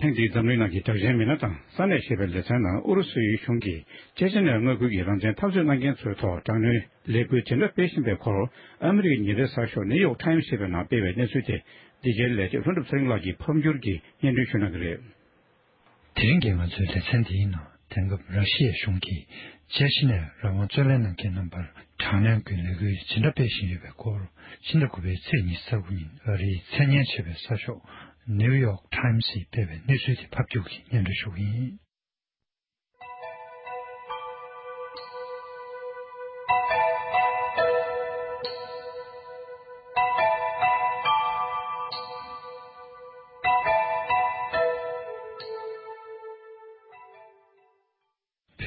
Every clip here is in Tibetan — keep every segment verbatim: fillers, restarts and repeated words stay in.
ཐེངས་འདིའི་འཛམ་གླིང་ནང་གི་དྲག་ཆེན་མི་སྣ་དང་ས་གནས་ཞེས་པའི་ལེ་ཚན་ནང་ཨུ་རུ་སུའི་གཞུང་གིས་ཅེ་ཅི་ནའི་མངའ་ཁུལ་གྱི་རང་བཙན་འཐབ་རྩོད་གནང་མཁན་ཚོའི་ཐོག་དྲག་གནོན་ལས་འགུལ་ཇི་འདྲ་སྤེལ་བཞིན་པའི་སྐོར། ཨ་མི་རི་ཀའི་ཉེ་འབྲེལ་གསར་ཤོག་ནིའུ་ཡོག་ཊའིམ་ཞེས་པའི་ནང་སྤེལ་བའི་གནས་ཚུལ་དེ། འདི་གའི་ལས་བྱེད་ལྷུན་གྲུབ་ཚེ་རིང་ལགས་ཀྱིས་ཕབ་བསྒྱུར་གྱིས་སྙན་སྒྲོན་ཞུ་གནང་གི་རེད། དེ་རིང་གི་ང་ཚོའི་ལེ་ཚན་འདིའི་ནང་། དེང་སྐབས་ར་ཤི་ཡའི་གཞུང་གིས་ཅེ་ཅི་ནའི་རང་དབང་རྩོད་ལེན་གནང་མཁན་རྣམ་པར་དྲག་གནོན་གྱི་ལས་འགུལ་ཇི་འདྲ་སྤེལ་བཞིན་ཡོད་པའི་སྐོར། ཕྱི་ཟླ་དགུ་པའི་ཚེས་ཉི་ཤུ་རྩ་དགུ་ཉིན་ཨ་རིའི་མཚན་སྙན་ཆེ་བའི་གསར་ཤོག་ནིའུ་ཡོག་ཊའིམ་སིས་སྤེལ་བའི་གནས་ཚུལ་དེ་ཕབ་བསྒྱུར་གྱིས་སྙན་སྒྲོན་ཞུ་གི་ཡིན།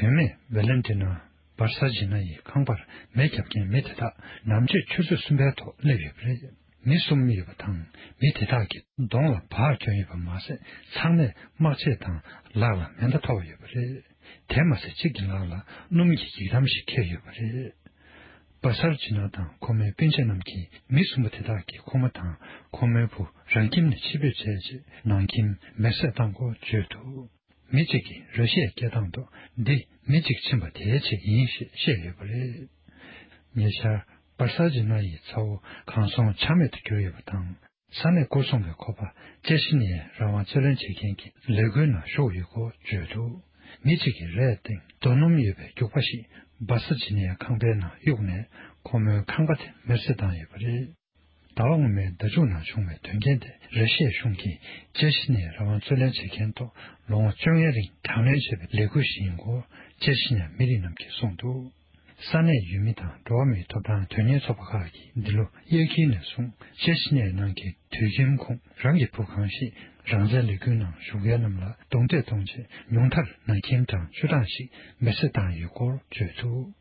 བུད་མེད་ཝེ་ལན་ཏི་ན་བར་ས་ཇི་ན་ཡི་ཁང་པར་མེ་བརྒྱབ་མཁན་མི་དེ་དག་ནམ་ཕྱེད་ཆུ་ཚོད་གསུམ་པའི་ཐོག་སླེབས་ཡོད་པ་རེད། མི་གསུམ་ཡོད་པ་དང་མི་དེ་དག་གི་གདོང་ལ་འབག་གྱོན་ཡོད་པ་མ་ཟད། ཚང་མས་དམག་ཆས་དང་ལག་ལ་མེ་མདའ་ཐོགས་ཡོད་པ་རེད། དེ་མ་ཟད་གཅིག་གི་ལག་ལ་སྣུམ་གྱི་འགྱིག་དམ་ཞིག་འཁྱེར་ཡོད་པ་རེད། བར་ས་ཇི་ན་དང་ཁོ་མོའི་སྤུན་མཆེད་རྣམས་ཀྱིས་མི་གསུམ་པོ་དེ་དག་གིས་ཁོ་མོ་དང་ཁོ་མོའི་བུ་རང་ཁྱིམ་ནས་ཕྱིར་འབུད་བྱས་རྗེས་ནང་ཁྱིམ་མེར་སྲེག་བཏང་སྐོར་བརྗོད་འདུག་མི་གཅིག་གིས་ར་ཤི་ཡའི་སྐད་གདངས་ཐོག་འདི་མི་གཅིག་ཕྱིན་པ་དེའི་ཆེད་ཡིན་ཞེས་བཤད་ཡོད་པ་རེད། ཉེ་ཆར་བར་ས་ཇི་ན་ཡི་ཚ་བོ་གང་སོང་ཆ་མེད་དུ་གྱུར་ཡོད་པ་དང་། ས་གནས་སྐོར་སྲུང་བས་ཁོ་པ་ཅེ་ཤི་ནི་ཡའི་རང་དབང་རྩོད་ལེན་བྱེད་མཁན་གྱི་ལས་འགུལ་ནང་ཞུགས་ཡོད་སྐོར་བརྗོད་འདུག་མི་གཅིག་གིས་རས་སྟེང་རྡོ་སྣུམ་ཡོད་པའི་རྒྱུག་པ་ཞིག་བར་ས་ཇི་ན་ཡའི་ཁང་པའི་ནང་གཡུགས་ནས་ཁོ་མོའི་ཁང་པ་དེ་མེར་སྲེག་བཏང་ཡོད་པ་རེད། ཟླ་བ་སྔོན་མའི་ཟླ་མཇུག་ནང་བྱུང་བའི་དོན་རྐྱེན་དེ་ར་ཤི་ཡའི་གཞུང་གིས་ཅེ་ཤི་ནའི་རང་དབང་རྩོད་ལེན་བྱེད་མཁན་ཐོག་ལོ་ངོ་བཅོ་ལྔའི་རིང་དྲག་གནོན་བྱས་པའི་ལས་འགུལ་ཞིག་ཡིན་སྐོར་ཅེ་ཤི་ནའི་མི་རིགས་རྣམས་ཀྱིས་གསུངས་འདུག་ས་གནས་ཡུལ་མི་དང་འགྲོ་བ་མིའི་ཐོབ་ཐང་དོན་གཉེར་ཚོགས་པ་ཁག་གིས་འདི་ལོ་དབྱར་ཁའི་ནས་བཟུང་ཅེ་ཤི་ནའི་ནང་གི་དུད་ཁྱིམ་ཁོངས་རང་གི་བུ་གང་ཞིག་རང་བཙན་ལས་འགུལ་ནང་ཞུགས་མཁན་རྣམས་ལ་རྡུང་རྡེག་གཏོང་ཆེད་ཉུང་མཐར་ནང་ཁྱིམ་གྲངས་བཅུ་གྲངས་ཤིག་མེར་སྲེག་བཏང་ཡོད་སྐོར་བརྗོད་འདུག་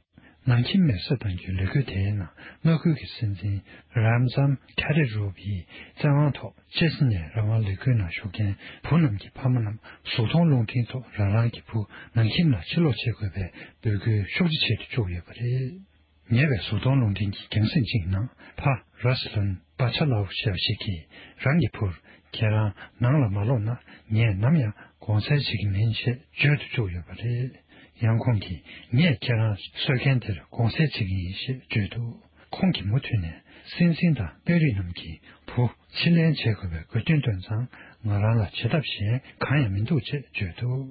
ནང་ཁྱིམ་མེར་སྲེག་གཏང་རྒྱུའི་ལས་འགུལ་དེའི་ནང་མངའ་ཁུལ་གྱི་སྲིད་འཛིན་རམ་ཛམ་ཁ་རི་རོབ་ཡི་བཙན་དབང་ཐོག་ཅེ་སི་ཉའི་རང་དབང་ལས་འགུལ་ནང་ཞུགས་མཁན་བུ་རྣམས་ཀྱི་ཕ་མ་རྣམས་གཟུགས་མཐོང་རླུང་འཕྲིན་ཐོག་རང་རང་གི་བུ་ནང་ཁྱིམ་ལ་ཕྱིར་ལོག་བྱེད་དགོས་པའི་འབོད་སྐུལ་ཤུགས་ཆེ་བྱེད་དུ་བཅུག་ཡོད་པ་རེད། ཉེ་བའི་གཟུགས་མཐོང་རླུང་འཕྲིན་གྱི་རྒྱང་སྲིང་གཅིག་ནང་ཕ་ར་སི་ལོན་བྷ་ཆ་ལའོ་ཞེས་པ་ཞིག་གིས་རང་གི་བུར། ཁྱེད་རང་ནང་ལ་མ་ལོག་ན་ངས་ནམ་ཡང་དགོངས་སེལ་བྱེད་ཀྱི་མིན་ཞེས་བརྗོད་དུ་བཅུག་ཡོད་པ་རེད། ཡང་ཁོང་གིས་ངས་ཁྱེད་རང་གསོད་མཁན་དེར་དགོངས་སེལ་བྱེད་ཀྱི་ཡིན་ཞེས་བརྗོད་འདུག་ཁོང་གིས་མུ་མཐུད་ནས་སྲིད་འཛིན་དང་དཔོན་རིགས་རྣམས་ཀྱིས་བུ་ཕྱིར་ལེན་བྱེད་དགོས་པའི་དགོས་འདུན་བཏོན་ཙང་ང་རང་ལ་བྱེད་ཐབས་གཞན་གང་ཡང་མི་འདུག་ཅེས་བརྗོད་འདུག་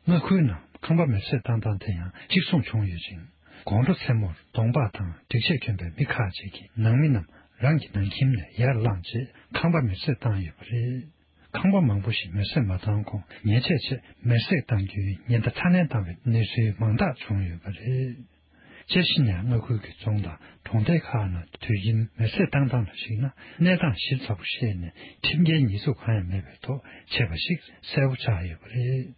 མངའ་ཁུལ་ནང་ཁང་པ་མེར་སྲེག་བཏང་སྟངས་དེ་ཡང་གཅིག་མཚུངས་བྱུང་ཡོད་ཅིང་། དགོང་དྲོ་མཚན་མོར་གདོང་པགས་དང་སྒྲིག་ཆས་གྱོན་པའི་མི་ཁག་ཅིག་གིས་ནང་མི་རྣམས་རང་གི་ནང་ཁྱིམ་ནས་ཡར་བླངས་རྗེས་ཁང་པ་མེར་སྲེག་བཏང་ཡོད་པ་རེད། ཁང་པ་མང་པོ་ཞིག་མེར་སྲེག་མ་བཏང་གོང་ཉེས་ཆད་ཆེད་མེར་སྲེག་བཏང་རྒྱུའི་ཉེན་བརྡ་ཚ་ནན་བཏང་བའི་གནས་ཚུལ་མང་དག་བྱུང་ཡོད་པ་རེད། ཅེ་ཤི་ཉ་མངའ་ཁུལ་གྱི་རྫོང་དང་གྲོང་རྡལ་ཁག་ནང་དུད་ཁྱིམ་མེར་སྲེག་བཏང་སྟངས་ལ་གཞིགས་ན་གནས་སྟངས་ཞིབ་ཚགས་པོ་ཤེས་ནས་ཁྲིམས་འགལ་ཉེས་འཛུགས་གང་ཡང་མེད་པའི་ཐོག་བྱས་པ་ཞིག་གསལ་པོ་ཆགས་ཡོད་པ་རེད།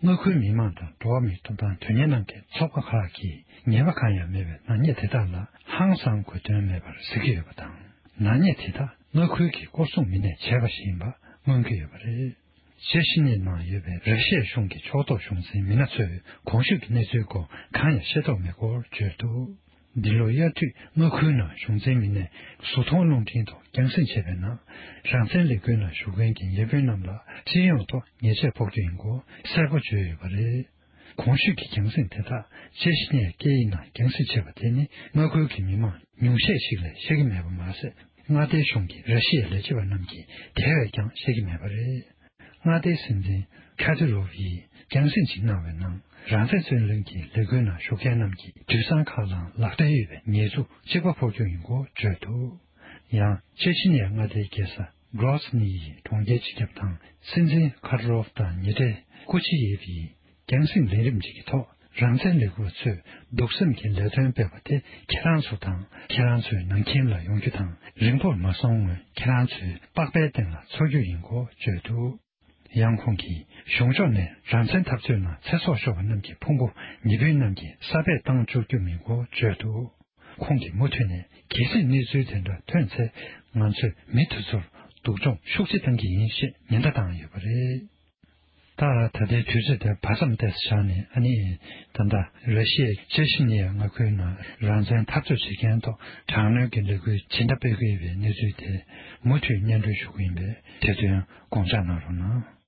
མངའ་ཁུལ་མི་མང་དང་འགྲོ་བ་མིའི་ཐོབ་ཐང་དོན་གཉེར་གནང་མཁན་ཚོགས་པ་ཁག་གིས་ཉེས་པ་གང་ཡང་མེད་པའི་ནག་ཉེས་དེ་དག་ལ་ཧང་སང་དགོས་དོན་མེད་པར་ཟེར་གྱི་ཡོད་པ་དང་། ནག་ཉེས་དེ་དག་མངའ་ཁུལ་གྱི་སྐོར་སྲུང་མི་སྣས་བྱས་པ་ཞིག་ཡིན་པ་མངོན་གྱི་ཡོད་པ་རེད། ཅེ་ཤི་ནི་ནང་ཡོད་པའི་ར་ཤི་ཡའི་གཞུང་གི་ཕྱོགས་གཏོགས་གཞུང་འཛིན་མི་སྣ་ཚོས་གོང་ཞུས་ཀྱི་གནས་ཚུལ་སྐོར་གང་ཡང་ཤེས་རྟོགས་མེད་སྐོར་བརྗོད་འདུག་འདི་ལོ་དབྱར་དུས་མངའ་ཁུལ་ནང་གཞུང་འཛིན་མི་སྣས་གཟུགས་མཐོང་རླུང་འཕྲིན་ཐོག་རྒྱང་སྲིང་བྱས་པའི་ནང་། རང་བཙན་ལས་འགུལ་ནང་ཞུགས་མཁན་གྱི་ཉེ་སྤུན་རྣམས་ལ་སྤྱི་ཡོངས་ཐོག་ཉེས་ཆད་ཕོག་རྒྱུ་ཡིན་སྐོར་གསལ་པོ་བརྗོད་ཡོད་པ་རེད། གོང་ཞུས་ཀྱི་རྒྱང་སྲིང་དེ་དག་ཅེ་ཤི་ནའི་སྐད་ཡིག་ནང་རྒྱང་སྲིང་བྱས་པ་དེ་ནི་མངའ་ཁུལ་གྱི་མི་མང་ཉུང་ཤས་ཤིག་ལས་ཤེས་ཀྱི་མེད་པ་མ་ཟད། མངའ་སྡེའི་གཞུང་གི་ར་ཤི་ཡའི་ལས་བྱེད་པ་རྣམས་ཀྱིས་དེ་བས་ཀྱང་ཤེས་ཀྱི་མེད་པ་རེད། མངའ་སྡེའི་སྲིད་འཛིན་ཁ་ཏི་རོབ་ཡིས་རྒྱང་སྲིང་ཞིག་གནང་བའི་ནང་། རང་བཙན་རྩོད་ལེན་གྱི་ལས་འགུལ་ནང་ཞུགས་མཁན་རྣམས་ཀྱི་དུད་ཚང་ཁག་ལའང་ལག་འབྲེལ་ཡོད་པའི་ཉེས་འཛུགས་གཅིག་པ་ཕོག་རྒྱུ་ཡིན་སྐོར་བརྗོད་འདུག་ཡང་ཅེ་ཆི་ནི་ཡ་མངའ་སྡེའི་རྒྱལ་ས་གྲོ་སི་ནི་ཡི་གྲོང་ཁྱེར་སྤྱི་ཁྱབ་དང་སྲིད་འཛིན་ཁ་ཏི་རོབ་དང་ཉེ་འབྲེལ་ཀུ་ཆི་ཡེབ་ཡིས། རྒྱང་སྲིང་ལས་རིམ་གཅིག་གི་ཐོག་རང་བཙན་ལས་འགུལ་བ་ཚོས་སྡུག་སེམས་ཀྱི་ལས་དོན་སྤེལ་བ་དེ་ཁྱེད་རང་ཚོ་དང་ཁྱེད་རང་ཚོའི་ནང་ཁྱིམ་ལ་ཡོང་རྒྱུ་དང་། རིང་པོར་མ་སོང་སྔོན་ཁྱེད་རང་ཚོའི་པགས་པའི་སྟེང་ལ་འཚོ་རྒྱུ་ཡིན་སྐོར་བརྗོད་འདུག་ཡང་ཁོང་གིས་གཞུང་ཕྱོགས་ནས་རང་བཙན་འཐབ་རྩོད་ནང་ཚེ་སྲོག་ཤོར་བ་རྣམས་ཀྱི་ཕུང་པོ་ཉེ་སྤུན་རྣམས་ཀྱི་ས་སྦས་བཏང་བཅུག་རྒྱུ་མིན་སྐོར་བརྗོད་འདུག་ཁོང་གིས་མུ་མཐུད་ནས་གལ་སྲིད་གནས་ཚུལ་དེ་འདྲ་ཐོན་ཚེ་ང་ཚོས་མི་དེ་ཚོར་སྡུག་སྦྱོང་ཤུགས་ཆེ་བཏང་གི་ཡིན་ཞེས་ཉེན་བརྡ་བཏང་ཡོད་པ་རེད། ད་ད་ལྟའི་དུས་ཚོད་དེ་བར་མཚམས་ཏོག་ཙམ་བཞག་ནས། ཨ་ནི་ད་ལྟ་ར་ཤི་ཡའི་ཅེ་ཤི་ནི་ཡ་མངའ་ཁུལ་ནང་རང་བཙན་འཐབ་རྩོད་བྱེད་མཁན་ཐོག་དྲག་གནོན་གྱི་ལས་འགུལ་ཇི་འདྲ་སྤེལ་གྱི་ཡོད་པའི་གནས་ཚུལ་དེ་མུ་མཐུད་སྙན་སྒྲོན་ཞུ་གི་ཡིན་པས། དེ་དོན་དགོངས་འཇགས་གནང་རོགས་གནང་།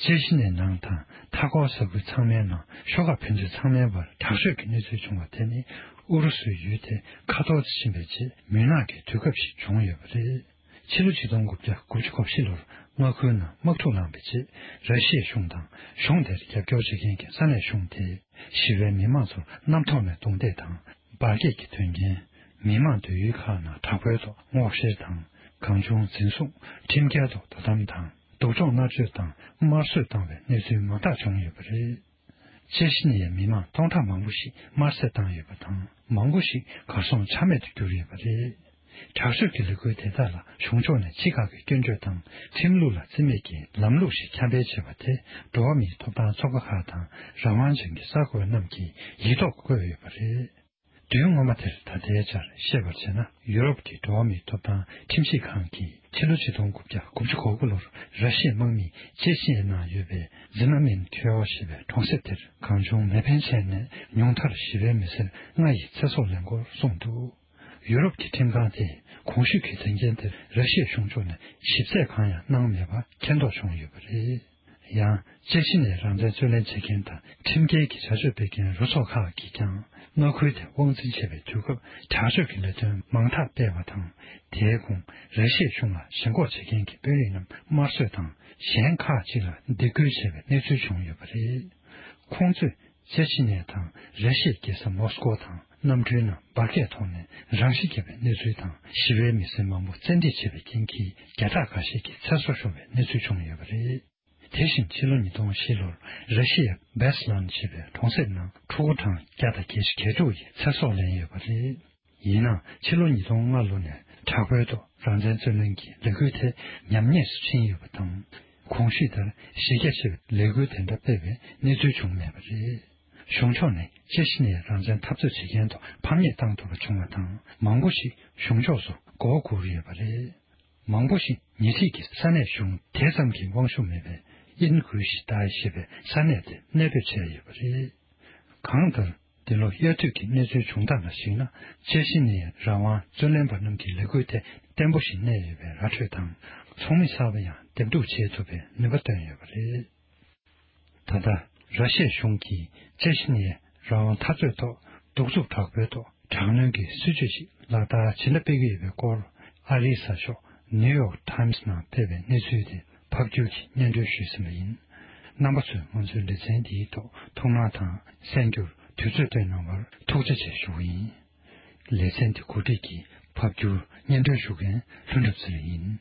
ཅེ་ཤི་ནའི་ནང་དང་མཐའ་འཁོར་ས་ཁུལ་ཚང་མའི་ནང་ཤོག་ཁག་ཕན་ཚུན་ཚང་མའི་བར་དྲག་ཤོས་ཀྱི་གནས་ཚུལ་བྱུང་བ་དེ་ནི་ཨུ་རུ་སུའི་ཡུལ་དེ་ཁ་ཐོར་དུ་ཕྱིན་པའི་རྗེས་མུན་ནག་གི་དུས་སྐབས་ཤིག་བྱུང་ཡོད་པ་རེད། ཕྱི་ལོ་ཆིག་སྟོང་དགུ་བརྒྱ་དགུ་བཅུ་གོ་བཞི་ལོར་མངའ་ཁུལ་ནང་དམག་འཁྲུག་ལངས་པའི་རྗེས་ར་ཤི་ཡའི་གཞུང་དང་གཞུང་དེར་རྒྱབ་སྐྱོར་བྱེད་མཁན་གྱི་ས་གནས་གཞུང་དེས་ཞི་བའི་མི་མང་ཚོར་གནམ་ཐོག་ནས་རྡུང་རྡེག་དང་འབར་གས་ཀྱི་དོན་རྐྱེན། མི་མང་སྡོད་ཡུལ་ཁག་ནང་དྲག་པོའི་ཐོག་སྔོག་བཤེར་དང་གང་བྱུང་འཛིན་བཟུང་། ཁྲིམས་འགལ་ཐོག་དོ་དམ་དང་སྡུག་སྦྱོང་མནར་གཅོད་དང་དམར་གསོད་བཏང་བའི་གནས་ཚུལ་མང་དག་བྱུང་ཡོད་པ་རེད། ཅེ་ཤི་ནི་ཡའི་མི་མང་སྟོང་ཕྲག་མང་པོ་ཞིག་དམར་གསོད་བཏང་ཡོད་པ་དང་མང་པོ་ཞིག་གར་སོང་ཆ་མེད་དུ་གྱུར་ཡོད་པ་རེད། དྲག་སྤྱོད་ཀྱི་ལས་འགུལ་དེ་དག་ལ་གཞུང་ཕྱོགས་ནས་ཕྱི་ཁག་གི་སྐྱོན་བརྗོད་དང་ཁྲིམས་ལུགས་ལ་བརྩི་མེད་ཀྱི་ལམ་ལུགས་ཤིག་ཁྱབ་སྤེལ་བྱས་པ་དེ་འགྲོ་བ་མིའི་ཐོབ་ཐང་ཚོགས་པ་ཁག་དང་རང་དབང་ཅན་གྱི་གསར་འགོད་རྣམས་ཀྱིས་ཡིག་ཐོག་བཀོད་ཡོད་པ་རེད། དུས་སྔོན་མ་དེར་ད་ལྟའི་ཆར་ཤེས་པར་བྱས་ན་ཡུ་རོབ་ཀྱི་འགྲོ་བ་མིའི་ཐོབ་ཐང་ཁྲིམས་ཞིབ་ཁང་གིས་ཕྱི་ལོ་ཆིག་སྟོང་དགུ་བརྒྱ་དགུ་བཅུ་གོ་དགུ་ལོར་ར་ཤི་ཡའི་དམག་མིས་ཅེ་ཤི་ཡའི་ནང་ཡོད་པའི་ཛི་མ་མིན་ཁྱོ་ཞེས་པའི་གྲོང་གསེབ་དེར་གང་བྱུང་མེ་འཕེན་བྱས་ནས་ཉུང་མཐར་ཞི་བའི་མི་སེར་ལྔ་ཡི་ཚེ་སྲོག་ལེན་སྐོར་གསུངས་འདུག་ཡུ་རོབ་ཀྱི་ཁྲིམས་ཁང་དེས་གོང་ཞུས་ཀྱི་དོན་རྐྱེན་དེར་ར་ཤི་ཡའི་གཞུང་ཕྱོགས་ནས་ཞིབ་རྩད་གང་ཡང་གནང་མེད་པ་མཁྱེན་རྟོགས་བྱུང་ཡོད་པ་རེད། ཡང་ཅེ་ཤི་ནའི་རང་བཙན་རྩོད་ལེན་བྱེད་མཁན་དང་ཁྲིམས་འགལ་གྱི་བྱ་སྤྱོད་སྤེལ་མཁན་རུ་ཚོགས་ཁག་གིས་ཀྱང་མངའ་ཁུལ་དེ་དབང་འཛིན་བྱེད་པའི་དུས་སྐབས་དྲག་སྤྱོད་ཀྱི་ལས་དོན་མང་དག་སྤེལ་བ་དང་། དེའི་གོང་ར་ཤི་ཡའི་གཞུང་ལ་ཞེན་ཁོག་བྱེད་མཁན་གྱི་དཔོན་རིགས་རྣམས་དམར་གསོད་དང་གཞན་ཁག་ཅིག་ལ་སྡིགས་སྐུལ་བྱས་པའི་གནས་ཚུལ་བྱུང་ཡོད་པ་རེད། ཁོང་ཚོས་ཅེ་ཆི་ནེ་དང་ར་ཤི་ཡའི་རྒྱལ་ས་མོ་སི་ཀོ་དང་གནམ་གྲུའི་ནང་འབར་གས་ཐོག་ནས་རང་ཤི་བརྒྱབ་པའི་གནས་ཚུལ་དང་ཞི་བའི་མི་སེར་མང་པོ་བཙན་ཁྲིད་བྱས་པའི་རྐྱེན་གྱིས་བརྒྱ་ཕྲག་འགའ་ཤས་ཀྱི་ཚེ་སྲོག་ཤོར་བའི་གནས་ཚུལ་བྱུང་ཡོད་པ་རེད། དེ་བཞིན་ཕྱི་ལོ་ཉིས་སྟོང་བཞི་ལོར་ར་ཤི་ཡའི་བེ་སི་ལན་ཞེས་པའི་གྲོང་གསེབ་ནང་ཕྲུ་གུ་གྲངས་བརྒྱ་དང་བརྒྱད་ཅུ་གྱ་དྲུག་ཡིས་ཚེ་སྲོག་ལེན་ཡོད་པ་རེད། ཡིན་ནའང་ཕྱི་ལོ་ཉིས་སྟོང་ལྔ་ལོ་ནས་དྲག་པོའི་ཐོག་རང་བཙན་རྩོད་ལེན་གྱི་ལས་འགུལ་དེ་ཉམས་ཉེས་སུ་ཕྱིན་ཡོད་པ་དང་། གོང་ཞུས་ལྟར་གཞི་རྒྱ་ཆེ་བའི་ལས་འགུལ་དེ་འདྲ་སྤེལ་བའི་གནས་ཚུལ་བྱུང་མེད་པ་རེད། གཞུང་ཕྱོགས་ནས་ཅེ་ཤི་ནའི་རང་བཙན་འཐབ་རྩོད་བྱེད་མཁན་ཐོག་ཕམ་ཉེས་བཏང་ཐུབ་པ་བྱུང་བ་དང་མང་པོ་ཞིག་གཞུང་ཕྱོགས་སུ་མགོ་བོ་སྒུར་ཡོད་པ་རེད། མང་པོ་ཞིག་ཉེ་འཁྲིས་ཀྱི་ས་གནས་གཞུང་དེ་ཙམ་གྱི་དབང་ཤུགས་མེད་པའི་ཨིན་གུ་ཤི་ཏའི་ཞེས་པའི་ས་གནས་དེ་གནས་སྤོས་བྱས་ཡོད་པ་རེད། གང་ལྟར། འདི་ལོ་དབྱར་དུས་ཀྱི་གནས་ཚུལ་བྱུང་སྟངས་ལ་གཞིགས་ན་ཅེ་ཤི་ནའི་རང་དབང་རྩོད་ལེན་པ་རྣམས་ཀྱི་ལས་འགུལ་དེ་བརྟན་པོ་ཞིག་གནས་ཡོད་པའི་ར་འཕྲོད་དང་ཚོགས་མི་གསར་པ་ཡང་འདེམས་སྒྲུག་བྱེད་ཐུབ་པའི་ནུས་པ་བཏོན་ཡོད་པ་རེད། ད་ལྟ་ར་ཤི་ཡའི་གཞུང་གིས་ཅེ་ཤི་ནའི་རང་དབང་འཐབ་རྩོད་ཐོག་གདུག་རྩུབ་དྲག་པོའི་ཐོག་དྲག་གནོན་གྱི་སྲིད་བྱུས་ཤིག་ལག་བསྟར་ཇི་འདྲ་སྤེལ་གྱི་ཡོད་པའི་སྐོར་ཨ་རིའི་གསར་ཤོག་ནིའུ་ཡོག་ཊའིམ་སི་ནང་སྤེལ་བའི་གནས་ཚུལ་དེ་ཕབ་སྒྱུར་གྱིས་སྙན་སྒྲོན་ཞུས་ཟིན་པ་ཡིན། རྣམ་པ་ཚོས་ང་ཚོའི་ལེ་ཚན་འདིའི་ཐོག་ཐུགས་སྣང་དང་གསན་རྒྱུར་དུས་ཚོད་བཏོན་གནང་བར་ཐུགས་རྗེ་ཆེ་ཞུ་བ་ཡིན། ལེ་ཚན་འདི་གོ་སྒྲིག་གིས་ཕབ་སྒྱུར་སྙན་སྒྲོན་ཞུ་མཁན་ལྷུན་གྲུབ་ཚེ་རིང་ཡིན།